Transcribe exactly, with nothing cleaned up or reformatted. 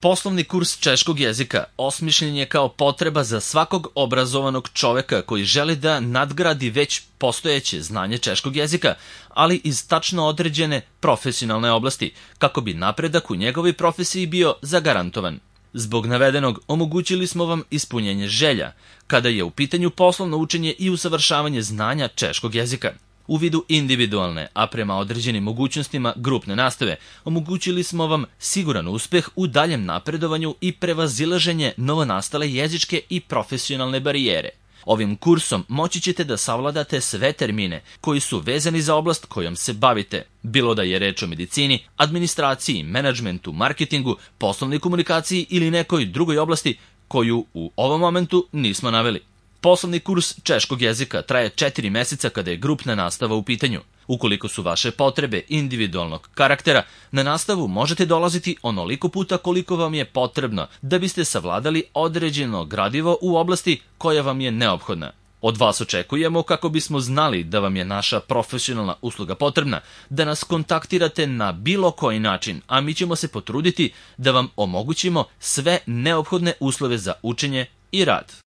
Poslovni kurs češkog jezika osmišljen je kao potreba za svakog obrazovanog čoveka koji želi da nadgradi već postojeće znanje češkog jezika, ali iz tačno određene profesionalne oblasti, kako bi napredak u njegovoj profesiji bio zagarantovan. Zbog navedenog omogućili smo vam ispunjenje želja, kada je u pitanju poslovno učenje i usavršavanje znanja češkog jezika. U vidu individualne, a prema određenim mogućnostima grupne nastave, omogućili smo vam siguran uspeh u daljem napredovanju i prevazilaženje novonastale jezičke i profesionalne barijere. Ovim kursom moći ćete da savladate sve termine koji su vezani za oblast kojom se bavite, bilo da je reč o medicini, administraciji, menadžmentu, marketingu, poslovnoj komunikaciji ili nekoj drugoj oblasti koju u ovom momentu nismo naveli. Poslovni kurs češkog jezika traje četiri meseca kada je grupna nastava u pitanju. Ukoliko su vaše potrebe individualnog karaktera, na nastavu možete dolaziti onoliko puta koliko vam je potrebno da biste savladali određeno gradivo u oblasti koja vam je neophodna. Od vas očekujemo, kako bismo znali da vam je naša profesionalna usluga potrebna, da nas kontaktirate na bilo koji način, a mi ćemo se potruditi da vam omogućimo sve neophodne uslove za učenje i rad.